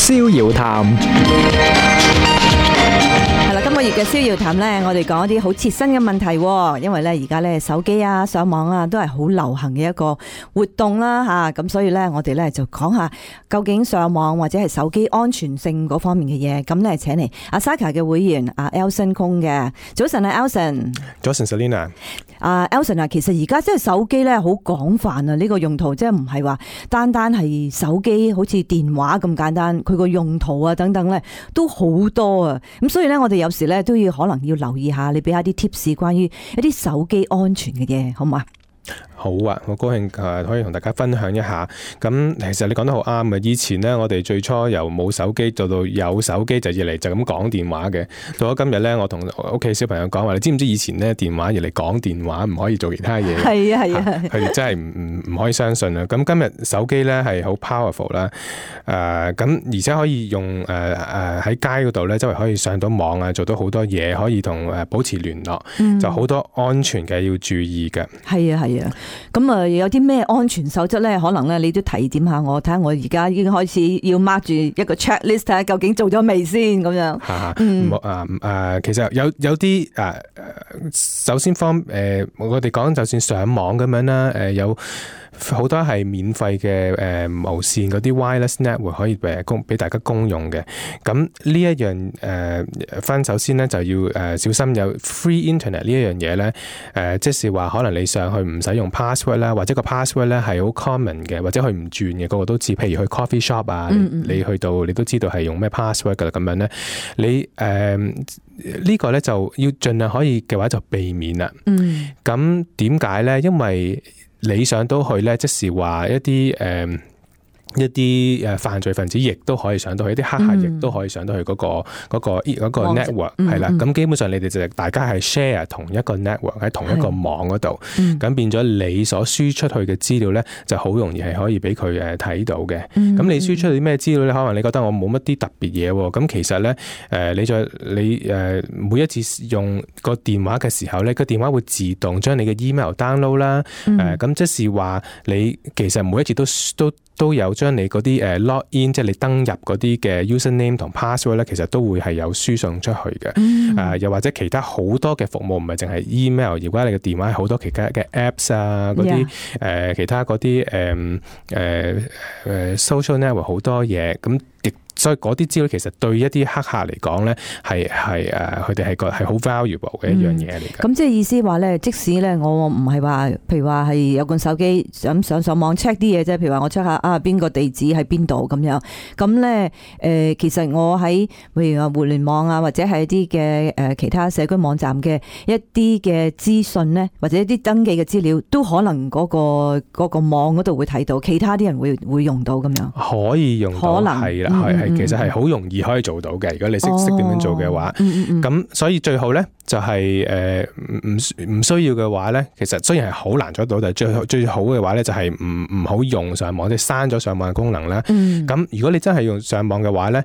逍遙談。今個月嘅逍遙談呢，我哋講一啲好切身嘅問題，因為呢而家呢手機啊、上網啊都係好流行嘅一個活動啦吓，咁所以呢我哋呢就講下究竟上網或者係手機安全性嗰方面嘅嘢。咁呢請嚟阿 Saka 嘅會員阿 Elson Kong 嘅。早晨啊 Elson。早晨 Selina。Elson 啊，其實而家即係手機呢好廣泛啊，呢個用途即係唔係話單單係手機好似電話咁簡單，佢個用途啊等等呢都好多啊。咁所以呢我哋有時咧都要可能要留意下，你俾下啲 tips 關於一啲手機安全嘅嘢，好唔好啊？好啊，好高興可以同大家分享一下。咁其實你講得好啱嘅。以前呢，我哋最初由冇手機做到有手機，就要嚟就咁講電話嘅。到咗今日呢，我同屋企小朋友講話，你知唔知以前呢電話要嚟講電話，唔可以做其他嘢？係啊係啊，佢哋真係唔可以相信啊！咁今日手機呢係好 powerful 啦，咁而且可以用喺街嗰度呢，周圍可以上到網啊，做到好多嘢，可以同保持聯絡，就好多安全嘅要注意嘅。係啊係啊。咁啊，有啲咩安全守則咧？可能咧，你都提點下我，睇下我而家已經開始要 mark 住一個 checklist，睇下究竟做咗未先咁樣。其實有啲首先我哋講就算上網咁樣啦，有好多係免費嘅無線嗰啲 wireless network 可以俾大家公用嘅。咁呢一樣分首先咧就要小心有 free internet 呢一樣嘢咧。即是話可能你上去唔使用 password 啦，或者個 password 咧係好 common 嘅，或者佢唔轉嘅，個個都知。譬如去 coffee shop 啊，你去到你都知道係用咩 password 噶啦，咁樣咧，你呢個咧就要盡量可以嘅話就避免啦。咁點解咧？因為你上到去咧，即是話一啲犯罪分子亦都可以上到去，一啲黑客亦都可以上到去嗰個 network 係啦。咁基本上你哋就大家係 share 同一個 network 喺同一個網嗰度，咁變咗你所輸出去嘅資料咧，就好容易係可以俾佢睇到嘅。咁你輸出啲咩資料咧？可能你覺得我冇乜啲特別嘢喎。咁其實咧，你每一次用個電話嘅時候咧，個電話會自動將你嘅 email download 啦。咁即是話你其實每一次都有將你嗰啲log in， 即係你登入嗰啲嘅 username 同 password 咧，其實都會係有輸送出去嘅。又或者其他好多嘅服務，唔係淨係 email， 如果你嘅電話係好多其他嘅 apps 啊，嗰啲其他嗰啲social network 好多嘢咁。所以嗰啲資料其實對一啲黑客嚟講咧，係佢哋係好 valuable 嘅一樣嘢嚟嘅。咁即係意思話咧，即使咧我唔係話，譬如話係有個手機想上網 check 啲嘢啫，譬如話我 check 下邊個地址喺邊度咁樣。咁咧其實我喺譬如話互聯網啊，或者係一啲嘅其他社區網站嘅一啲嘅資訊咧，或者一啲登記嘅資料，都可能嗰個網嗰度會睇到，其他啲人會用到咁樣。可以用到，係啦，其實係好容易可以做到嘅。如果你識點樣做嘅話，咁所以最好咧就係唔需要嘅話咧，其實雖然係好難做到，但係最好嘅話咧就係唔好用上網，即係刪咗上網嘅功能啦。咁如果你真係用上網嘅話咧，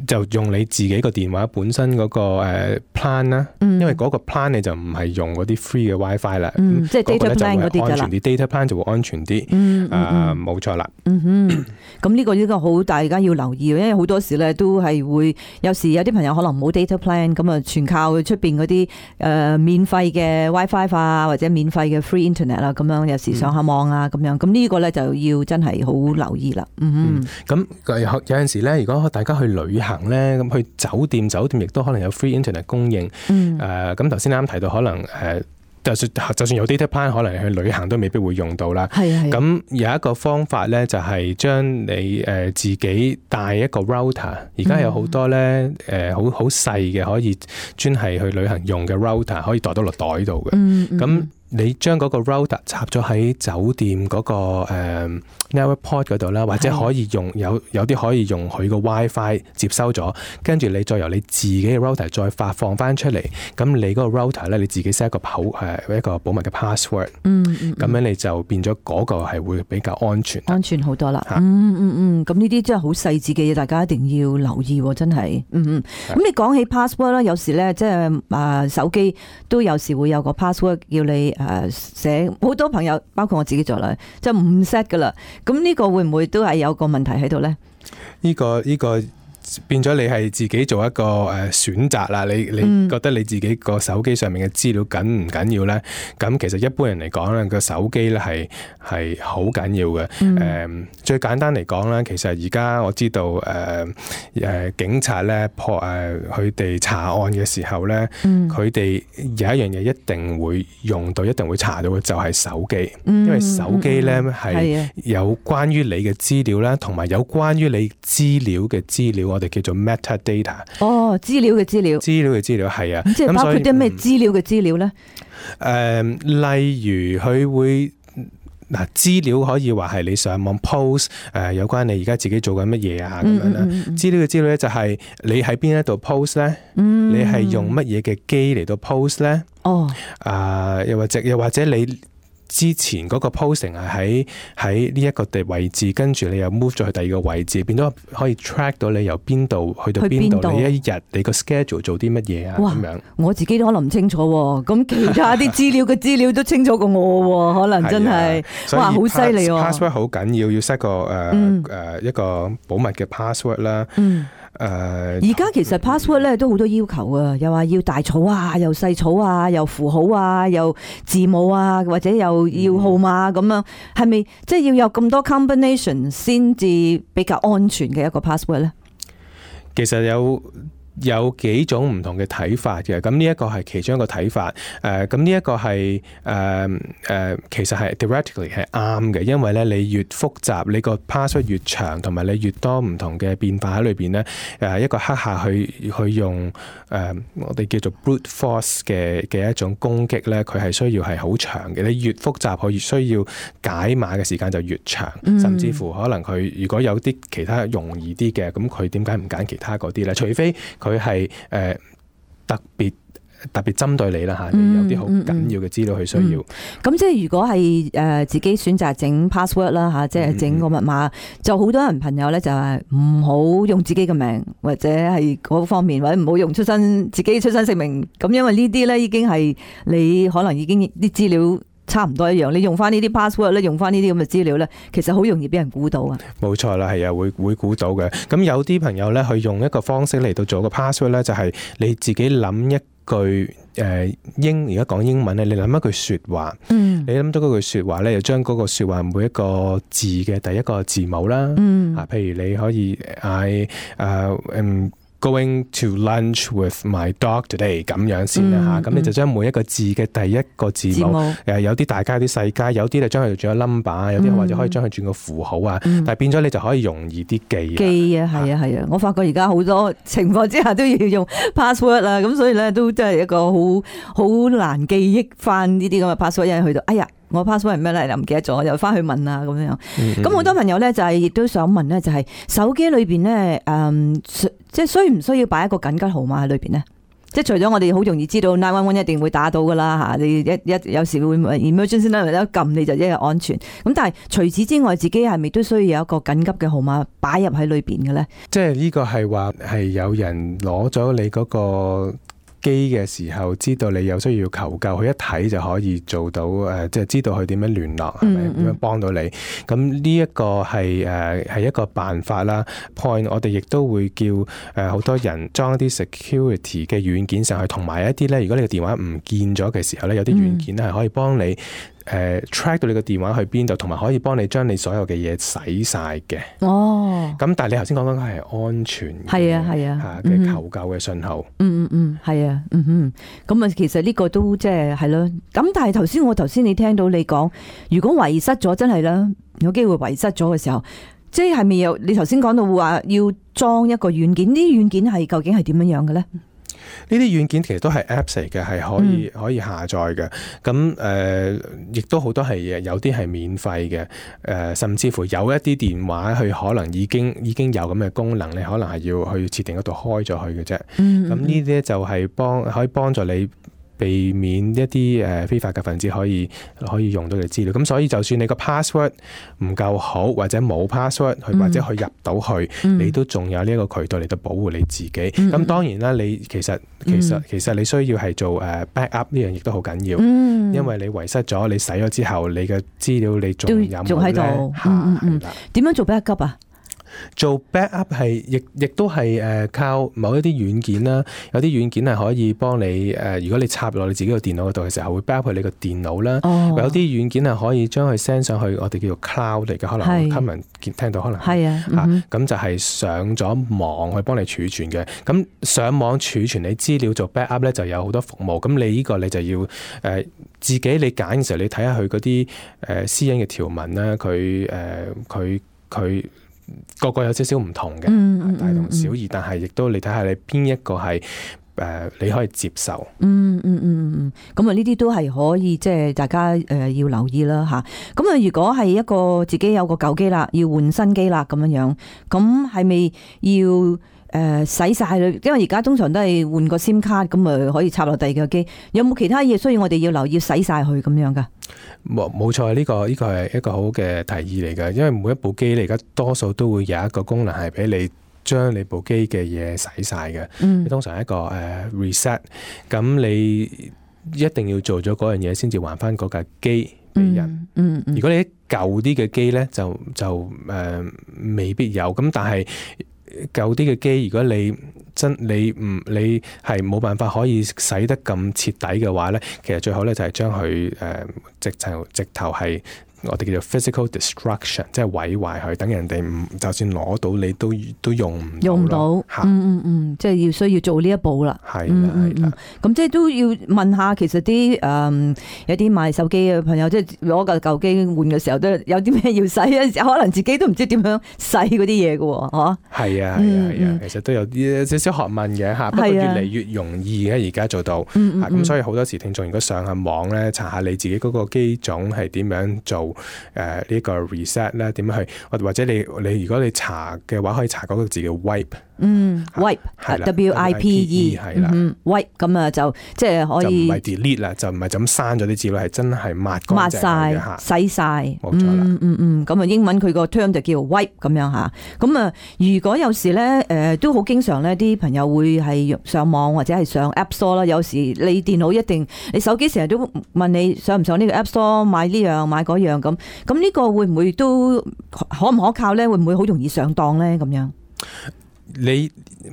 就用你自己個電話本身嗰個plan 啦，因為嗰個 plan 你就唔係用嗰啲 free 嘅 WiFi 啦，即係 data plan 嗰啲㗎啦，安全啲 data plan 就會安全啲。冇錯啦。咁呢個好大家要留意，因為好多時咧都係會有時有啲朋友可能冇 data plan， 咁啊全靠出邊嗰啲免費嘅 WiFi 啊，或者免費嘅 free internet 啦，咁樣有時上下網啊咁樣，咁呢個咧就要真係好留意啦。咁有陣時咧，如果大家去旅行咧，咁去酒店亦都可能有 free internet 供應。咁頭先啱提到可能就算有 data plan， 可能去旅行都未必會用到啦。咁有一個方法咧，就係將你自己帶一個 router。而家有好多咧好細嘅可以專係去旅行用嘅 router， 可以袋到落袋度嘅。咁你將嗰個 router 插咗喺酒店嗰個network port 嗰度啦，或者可以用有啲可以用佢個 WiFi 接收咗，跟住你再由你自己嘅 router 再發放翻出嚟。咁你嗰個 router 咧，你自己 set 一個保密嘅 password。咁樣你就變咗嗰個係會比較安全好多啦。咁呢啲真係好細緻嘅嘢，大家一定要留意，真係。咁你講起 password 啦，有時咧即係手機都有時會有個 password 叫你寫，好多朋友包括我自己做啦，就唔 set 噶啦。咁呢個會唔會都係有個問題喺度咧？呢個變咗你係自己做一個選擇啦。你覺得你自己個手機上面嘅資料緊唔緊要咧？咁其實一般人嚟講咧，個手機咧係好緊要嘅。最簡單嚟講咧，其實而家我知道警察咧佢哋查案嘅時候咧，佢哋有一樣嘢一定會用到，一定會查到嘅就係手機，因為手機咧係有關於你嘅資料啦，同埋有關於你資料嘅資料。我哋叫做 metadata。哦，資料嘅資料。資料嘅資料係啊。即係包括啲咩資料嘅資料咧？例如佢會資料可以話係你上網 post 有關你而家自己做緊乜嘢啊咁樣啦。資料嘅資料咧就係你喺邊一度 post 咧，你係用乜嘢嘅機嚟到 post 咧？又或者你之前嗰個 posting 係喺呢一個位置，跟住你又 move 咗去第二個位置，變咗可以 track 到你由邊度去到邊度，你一日你個 schedule 做啲乜嘢啊咁樣。我自己都可能唔清楚喎，咁其他啲資料嘅資料都清楚過我喎，可能真係哇好犀利喎。password 好緊要，set 個一個保密嘅 password 啦。而家其實 password 咧都好多要求啊，又話要大草啊，又細草啊，又符號啊，又字母啊，或者又要號碼咁樣，係咪即係要有咁多 combination 先至比較安全嘅一個 password 咧？其實有幾種唔同嘅睇法嘅，咁呢一個係其中一個睇法。咁呢一個係其實係 theoretically 係啱嘅，因為咧你越複雜，你個 password 越長，同埋你越多唔同嘅變化喺裏邊咧，一個黑客去用我哋叫做 brute force 嘅一種攻擊咧，佢係需要係好長嘅。你越複雜，佢越需要解碼嘅時間就越長，甚至乎可能佢如果有啲其他容易啲嘅，咁佢點解唔揀其他嗰啲咧？除非佢係特別針對你啦嚇，你有啲好緊要嘅資料佢需要。咁即係如果係自己選擇整 password 啦嚇，即係整個密碼，就好多人朋友咧就係唔好用自己嘅名，或者係嗰方面，或者唔好用自己出生姓名。咁因為呢啲咧已經係你可能已經啲資料差唔多一樣，你用翻呢啲 password 咧，用翻呢啲咁嘅資料咧，其實好容易俾人估到啊！冇錯啦，係啊，會估到嘅。咁有啲朋友咧，去用一個方式嚟到做個 password 咧，就係你自己諗一句而家講英文咧，你諗一句説話，你諗到嗰句説話咧，就將嗰個説話每一個字嘅第一個字母啦，譬如你可以嗌Going to lunch with my dog today 咁樣先啦嚇，咁你就將每一個字嘅第一個字母有啲大加有啲細加，有啲就將佢轉個 number， 有啲或者可以將佢轉個符號啊，但係變咗你就可以容易啲記啊，係啊，我發覺而家好多情況之下都要用 password 啊，咁所以咧都真係一個好難記憶翻呢啲咁嘅 password， 因為去到哎呀〜我 password 係咩咧？又唔記得咗，又翻去問啊咁樣。咁好多朋友咧就係亦都想問咧，就係手機裏邊咧，即係需唔需要擺一個緊急號碼喺裏邊咧？即係除咗我哋好容易知道911一定會打到噶啦嚇，你一有時會 emergency 咧，一撳你就一日安全。咁但係除此之外，自己係咪都需要有一個緊急嘅號碼擺入喺裏邊嘅咧？即係呢個係話係有人攞咗你嗰個機嘅時候，知道你有需要求救，佢一睇就可以做到即係知道佢點樣聯絡，係咪點樣幫到你？咁呢一個係一個辦法啦。Point 我哋亦都會叫好多人裝一啲 security 嘅軟件上去，同埋一啲咧，如果你個電話唔見咗嘅時候咧，有啲軟件咧係可以幫你track 到你個電話去邊度，同埋可以幫你將你所有嘅嘢洗晒嘅。哦，咁但係你頭先講緊係安全嘅求救嘅信號。係啊，咁啊，其實呢個都即係咯。咁但係頭先你聽到你講，如果遺失咗，真係啦，有機會遺失咗嘅時候，即係咪有？你頭先講到話要裝一個軟件，呢啲軟件係究竟係點樣樣嘅咧？呢啲軟件其實都係 Apps 嚟嘅，係可以下載嘅。咁亦都好多係有啲係免費嘅。甚至乎有一啲電話佢可能已經有咁嘅功能，你可能係要去設定嗰度開咗佢嘅啫。咁呢啲咧就係可以幫助你避免一啲非法嘅分子可以用到你資料。咁所以就算你個 password 唔夠好，或者冇 password 或者去入到去，你都仲有呢一個渠道嚟到保護你自己。咁當然啦，你其實你需要係做backup 呢樣亦都好緊要，因為你遺失咗，你洗咗之後，你嘅資料你仲有冇咧？點樣做 backup 啊？做 backup 係亦都係靠某一啲軟件啦，有啲軟件係可以幫你如果你插落你自己個電腦嗰度嘅時候，會 backup 去你個電腦啦。有啲軟件係可以將佢 send 上去我哋叫做 cloud 嚟嘅，可能 common 聽到可能係啊，咁就係上咗網去幫你儲存嘅。咁上網儲存你資料做 backup 咧，就有好多服務。咁你呢個你就要自己你揀嘅時候，你睇下佢嗰啲私隱嘅條文啦，佢個個有少少唔同嘅，大同小異，但係亦都你睇下你邊一個係你可以接受。咁啊呢啲都係可以即係大家要留意啦吓。咁啊如果係一個自己有個舊機啦，要換新機啦咁樣樣，咁係咪要洗晒佢？因為而家通常都係換個 SIM 卡咁啊，可以插落第二個機。有冇其他嘢需要我哋要留意洗晒佢咁樣噶？冇錯，呢個係一個好嘅提議嚟㗎。因為每一部機你而家多數都會有一個功能係俾你將你部機嘅嘢洗晒嘅。你通常一個reset， 咁你一定要做咗嗰樣嘢先至還翻嗰架機俾人。如果你啲舊啲嘅機咧，就未必有。咁但係舊啲嘅機，如果你係冇辦法可以洗得咁徹底嘅話咧，其實最好咧就係將佢直頭係我哋叫做 physical destruction， 即係毀壞佢，等人哋就算攞到你都用唔到。即係要需要做呢一步啦。係啦。咁即係都要問下，其實啲有啲賣手機嘅朋友，即係攞個舊機換嘅時候，都有啲咩要洗，可能自己都唔知點樣洗嗰啲嘢嘅喎，嗬？係啊，其實都有啲少少學問嘅嚇，不過越嚟越容易嘅而家做到。咁所以好多時聽眾如果上下網咧，查下你自己嗰個機種係點樣做。呢個 reset 咧點樣去，或者你如果你查嘅話，可以查嗰個字叫 wipe，wipe，WIPE 係啦，wipe 咁啊就即係可以，就唔係 delete 啦，就唔係就咁刪咗啲資料，係真係抹晒、洗晒，冇錯啦。咁啊英文佢個 term 就叫 wipe 咁樣吓。咁啊如果有時咧都好經常咧，啲朋友會係上網或者係上 App Store 啦。有時你電腦你手機成日都問你上唔上呢個 App Store 買呢樣買嗰樣咁。咁呢個會唔會都可唔可靠咧？會唔會好容易上當咧？咁樣？你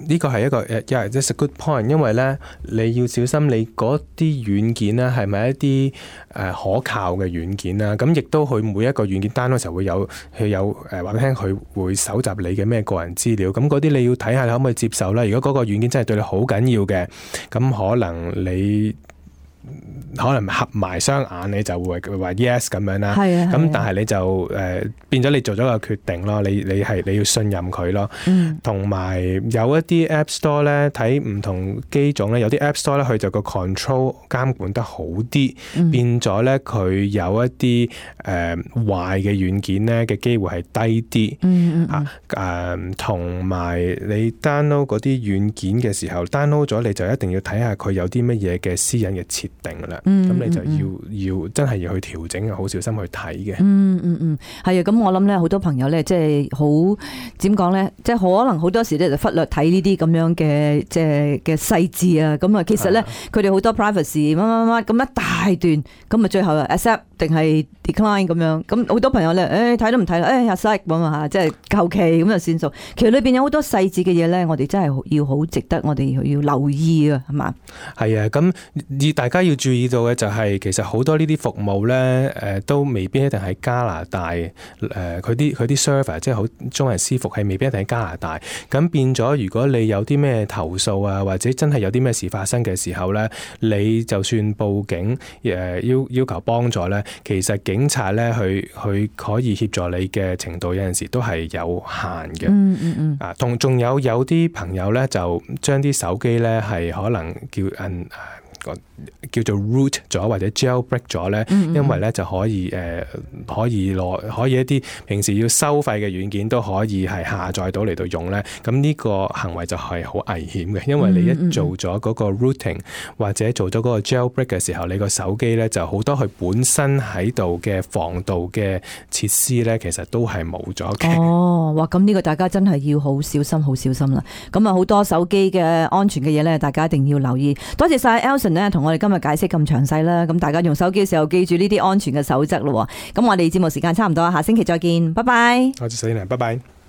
呢個係一個it's a good point， 因為咧你要小心你嗰啲軟件咧係咪一啲可靠嘅軟件啦？咁亦都佢每一個軟件 download 嘅時候會有話俾聽，佢會搜集你嘅咩個人資料。咁嗰啲你要睇下你可唔可以接受啦。如果嗰個軟件真係對你好緊要嘅，咁可能合埋雙眼你就會話 yes 咁樣啦。咁但係你就變咗你做咗個決定咯。你要信任佢咯。同埋有一啲 App Store 咧，睇唔同機種咧，有啲 App Store 咧佢就個 control 監管得好啲，變咗咧佢有一啲壞嘅軟件咧嘅機會係低啲。同埋你 download 嗰啲軟件嘅時候 download 咗你就一定要睇下佢有啲乜嘢嘅私隱嘅設定啦。咁你就要真係要去調整，好小心去睇嘅。係啊，咁我諗咧，好多朋友咧，即係好點講咧，即係可能好多時咧就忽略睇呢啲咁樣嘅即係嘅細節啊。咁啊，其實咧佢哋好多 privacy 乜咁一大段，咁啊最後 accept 定係 decline 咁樣。咁好多朋友咧，睇都唔睇啦，accept 咁啊，即係求其咁就算數。其實裏邊有好多細節嘅嘢咧，我哋真係要好值得我哋要留意啊，係嘛？係啊，咁大家要注意到嘅就係，其實好多呢啲服務咧，都未必一定喺加拿大，佢啲 server 即係好中文私服係未必一定喺加拿大。咁變咗，如果你有啲咩投訴啊，或者真係有啲咩事發生嘅時候咧，你就算報警，要求幫助咧，其實警察咧佢可以協助你嘅程度有陣時都係有限嘅。仲有啲朋友咧就將啲手機咧係可能叫做 root 咗或者 jailbreak 咗咧，因為咧就可以一啲平時要收費嘅軟件都可以係下載到嚟到用咧。咁呢個行為就係好危險嘅，因為你一做咗嗰個 routing 或者做咗嗰個 jailbreak 嘅時候，你個手機咧就好多佢本身喺度嘅防盜嘅設施咧，其實都係冇咗嘅。哇！咁呢個大家真係要好小心，好小心啦。咁啊，好多手機嘅安全嘅嘢咧，大家一定要留意。多謝晒 Elson 咧，同我哋今日解釋咁詳細啦。咁大家用手機嘅時候，記住呢啲安全嘅守則咯。咁我哋節目時間差唔多，下星期再見，拜拜。多謝 Selina，拜拜。